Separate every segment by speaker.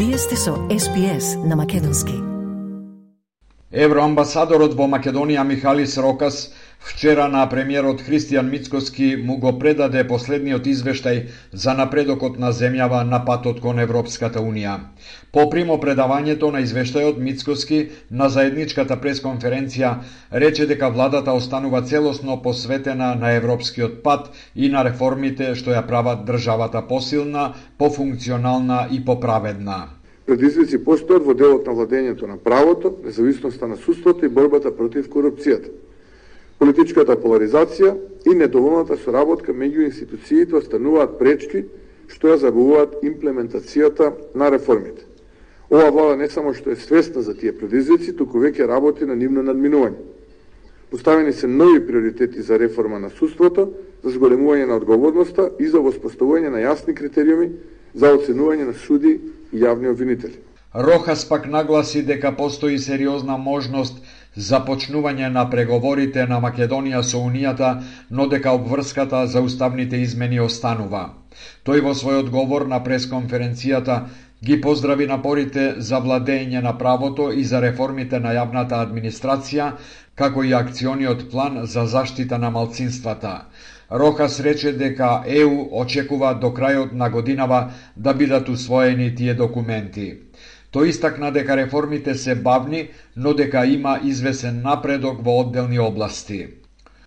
Speaker 1: Вие сте со SPS на македонски.
Speaker 2: Евроамбасадорот во Македонија Михалис Рокас вчера на премиерот Христијан Мицкоски му го предаде последниот извештај за напредокот на земјава на патот кон Европската Унија. По примопредавањето на извештајот, Мицкоски на заедничката пресконференција рече дека владата останува целосно посветена на европскиот пат и на реформите што ја прават државата посилна, пофункционална и поправедна.
Speaker 3: Предизвици постојат во делот на владењето на правото, независноста на судството и борбата против корупцијата. Политичката поларизација и недоволната соработка меѓу институциите остануваат пречки што ја забавуваат имплементацијата на реформите. Ова влада не само што е свесна за тие предизвици, туку веќе работи на нивно надминување. Поставени се нови приоритети за реформа на судството, за зголемување на одговорноста и за воспоставување на јасни критериуми за оценување на суди и јавни обвинители.
Speaker 2: Рохас пак нагласи дека постои сериозна можност за почнување на преговорите на Македонија со Унијата, но дека обврската за уставните измени останува. Тој во својот говор на пресконференцијата ги поздрави напорите за владење на правото и за реформите на јавната администрација, како и акциониот план за заштита на малцинствата. Рохас рече дека ЕУ очекува до крајот на годинава да бидат усвоени тие документи. Тој истакна дека реформите се бавни, но дека има извесен напредок во одделни области.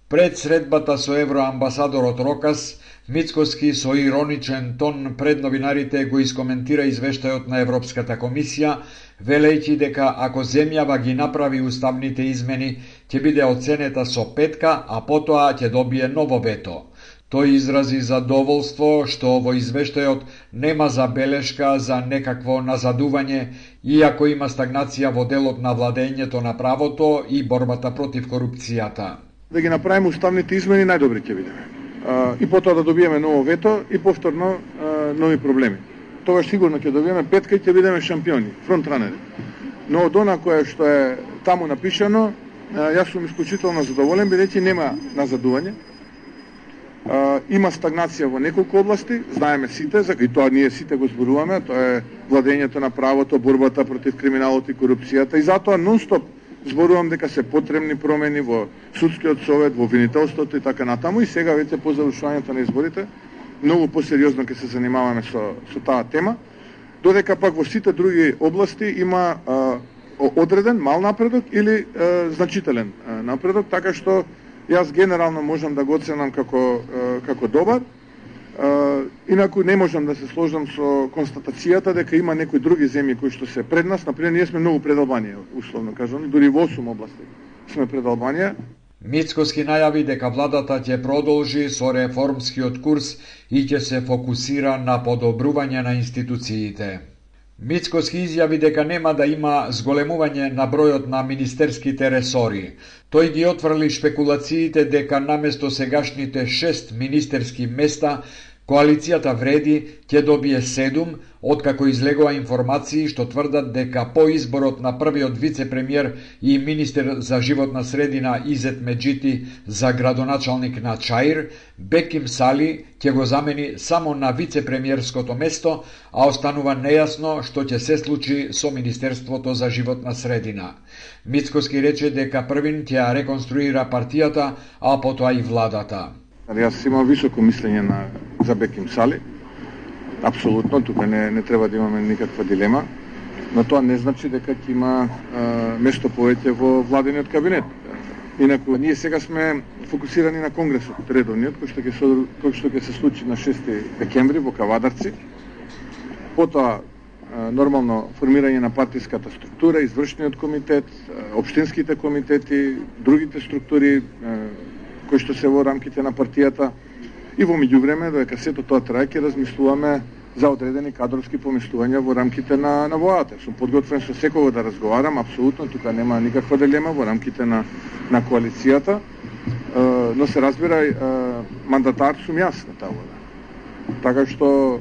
Speaker 2: Пред средбата со евроамбасадорот Рокас, Мицкоски со ироничен тон пред новинарите го искоментира извештајот на Европската комисија, велејќи дека ако земјава ги направи уставните измени, ќе биде оценета со 5, а потоа ќе добие ново вето. Тој изрази задоволство што во извештајот нема забелешка за некакво назадување, иако има стагнација во делот на владењето на правото и борбата против корупцијата.
Speaker 3: Да ги направиме уставните измени, најдобри ќе бидеме. И потоа да добиеме ново вето и повторно нови проблеми. Тогаш сигурно ќе добиеме 5 и ќе бидеме шампиони, фронтранери. Но од она кое што е таму напишано, јас сум исклучително задоволен, бидејќи нема назадување. Има стагнација во неколку области, знаеме сите, и тоа ние сите го зборуваме, тоа е владењето на правото, борбата против криминалот и корупцијата, и затоа нон-стоп зборувам дека се потребни промени во судскиот совет, во обвинителството и така натаму, и сега веќе по завршувањето на изборите многу посериозно ќе се занимаваме со таа тема, додека пак во сите други области има одреден мал напредок или значителен напредок, така што јас генерално можам да го оценам како добар. Инаку не можам да се сложам со констатацијата дека има некои други земји кои што се пред нас. Например, ние сме многу пред Албанија, условно кажано, дури во 8 области сме пред Албанија.
Speaker 2: Мицкоски најави дека владата ќе продолжи со реформскиот курс и ќе се фокусира на подобрување на институциите. Мицкоски изјави дека нема да има зголемување на бројот на министерските ресори. Тој ги отфрли шпекулациите дека наместо сегашните 6 министерски места, коалицијата Вреди ќе добие 7, откако излегува информации што тврдат дека по изборот на првиот вице-премиер и министер за животна средина Изет Меджити за градоначалник на Чаир, Беким Сали ќе го замени само на вице-премиерското место, а останува нејасно што ќе се случи со Министерството за животна средина. Мицкоски рече дека првин ќе ја реконструира партијата, а потоа и владата.
Speaker 3: Јас имам високо мислење за Беким Сали. Апсолутно, тука не треба да имаме никаква дилема, но тоа не значи дека ќе има место повеќе во владениот кабинет. Инаку, ние сега сме фокусирани на Конгресот редовниот, кој што ќе се случи на 6 декември во Кавадарци. Потоа, нормално, формирање на партиската структура, извршниот комитет, општинските комитети, другите структури, кои што се во рамките на партијата, и во меѓувреме, додека сето тоа трае, ќе размислуваме за одредени кадровски поместувања во рамките на владата. Сум подготвен со секого да разговарам, апсолутно, тука нема никаква дилема во рамките на коалицијата, но се разбира, мандатар сум јас на таа влада. Така што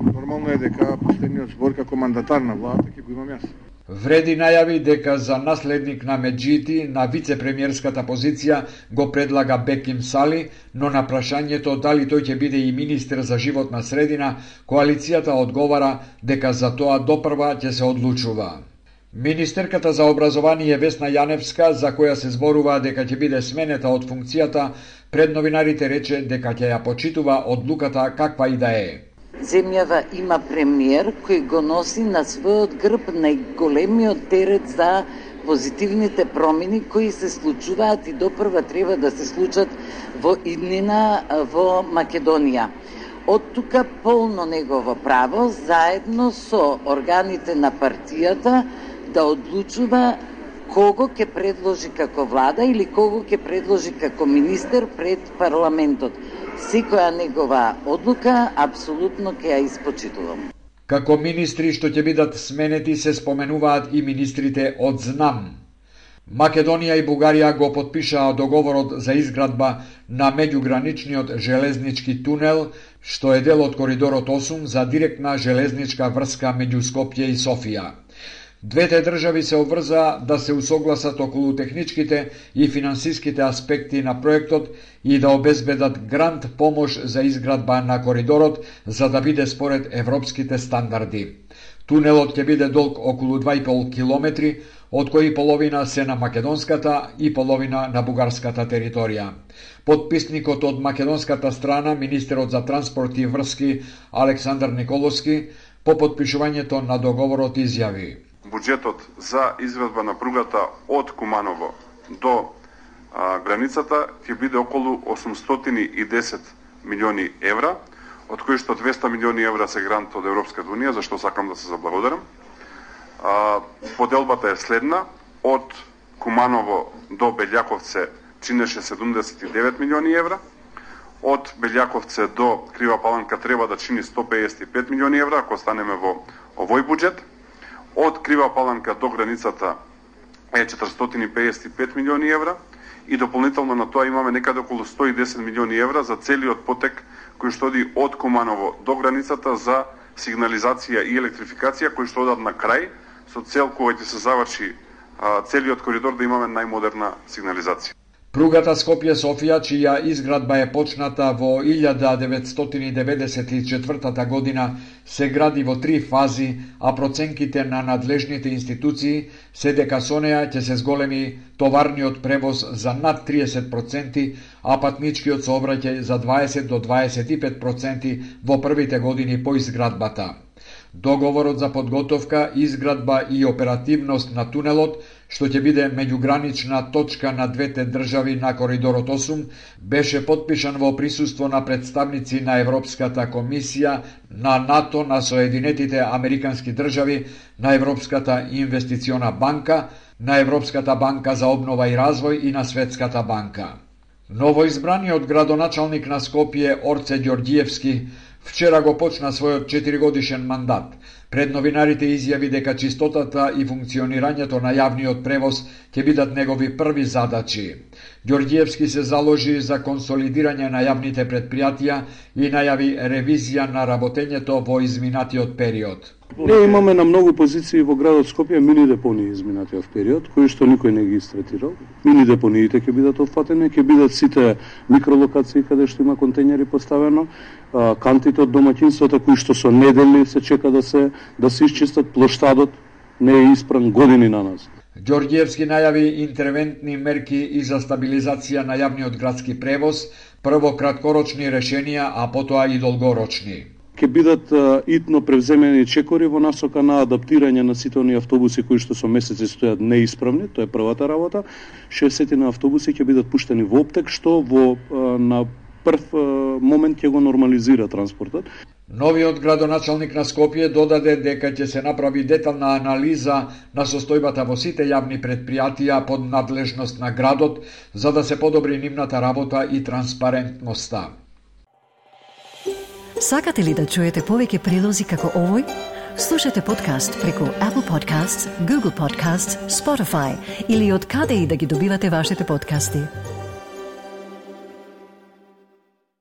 Speaker 3: нормално е дека последниот збор како мандатар на владата ќе го имам јас.
Speaker 2: Вреди најави дека за наследник на Меджити на вице-премиерската позиција го предлага Беким Сали, но на прашањето дали тој ќе биде и министер за животна средина, коалицијата одговара дека за тоа допрва ќе се одлучува. Министерката за образование Весна Јаневска, за која се зборува дека ќе биде сменета од функцијата, пред новинарите рече дека ќе ја почитува одлуката каква и да е.
Speaker 4: Земјава има премиер кој го носи на својот грб најголемиот терет за позитивните промени кои се случуваат и допрва треба да се случат во иднина во Македонија. Од тука полно негово право, заедно со органите на партијата, да одлучува кого ќе предложи како влада или кого ќе предложи како министер пред парламентот. Секоја негова одлука апсолутно ќе ја испочитувам.
Speaker 2: Како министри што ќе бидат сменети се споменуваат и министрите од ЗНАМ. Македонија и Бугарија го потпишаа договорот за изградба на меѓуграничниот железнички тунел, што е дел од коридорот 8 за директна железничка врска меѓу Скопје и Софија. Двете држави се обврзаа да се усогласат околу техничките и финансиските аспекти на проектот и да обезбедат грант помош за изградба на коридорот за да биде според европските стандарди. Тунелот ќе биде долг околу 2,5 километри, од кои половина се на македонската и половина на бугарската територија. Подписникот од македонската страна, министерот за транспорт и врски Александар Николовски, по подпишувањето на договорот изјави:
Speaker 5: Буџетот за изградба на пругата од Куманово до границата ќе биде околу 810 милиони евра, од кои што 200 милиони евра се грант од Европската унија, за што сакам да се заблагодарам. Поделбата е следна: од Куманово до Белјаковце чинеше 79 милиони евра, од Белјаковце до Крива Паланка треба да чини 155 милиони евра, ако станеме во овој буџет. Од Крива Паланка до границата е 455 милиони евра и дополнително на тоа имаме некаде околу 110 милиони евра за целиот потек кој што оди од Куманово до границата за сигнализација и електрификација кои што одат на крај со цел кога ќе се заврши целиот коридор да имаме најмодерна сигнализација.
Speaker 2: Пругата Скопје-Софија, чија изградба е почната во 1994 година, се гради во 3 фази, а проценките на надлежните институции се дека со неа ќе се зголеми товарниот превоз за над 30%, а патничкиот сообраќај за 20 до 25% во првите години по изградбата. Договорот за подготовка, изградба и оперативност на тунелот, што ќе биде меѓугранична точка на двете држави на коридорот 8, беше подпишан во присуство на представници на Европската комисија, на НАТО, на Соединетите Американски држави, на Европската инвестициона банка, на Европската банка за обнова и развој и на Светската банка. Новоизбраниот градоначалник на Скопје Орце Ѓорѓиевски вчера го почна својот 4-годишен мандат. Пред новинарите изјави дека чистотата и функционирањето на јавниот превоз ќе бидат негови први задачи. Ѓорѓиевски се заложи за консолидирање на јавните предпријатија и најави ревизија на работењето во изминатиот период.
Speaker 6: Ние имаме на многу позиции во градот Скопје мини депонии изминатиот период, кои што никој не ги истретирал. Мини депониите ќе бидат опфатени, ќе бидат сите микролокации каде што има контејнери поставено, кантите од домаќинствата кои што со недели се чека да се исчистат, плоштадот не е испран години на нас.
Speaker 2: Ѓорѓиевски најави интервентни мерки и за стабилизација на јавниот градски превоз, прво краткорочни решенија, а потоа и долгорочни.
Speaker 6: Ќе бидат итно превземени чекори во насока на адаптирање на сите оние автобуси кои што со месеци стојат неисправни, тоа е првата работа. 60 на автобуси ќе бидат пуштени во оптек, што на прв момент ќе го нормализира транспортот.
Speaker 2: Новиот градоначалник на Скопје додаде дека ќе се направи детална анализа на состојбата во сите јавни предпријатија под надлежност на градот, за да се подобри нивната работа и транспарентноста.
Speaker 1: Сакате ли да чуете повеќе прилози како овој? Слушате подкаст преку Apple Podcasts, Google Podcasts, Spotify или од каде и да ги добивате вашите подкасти.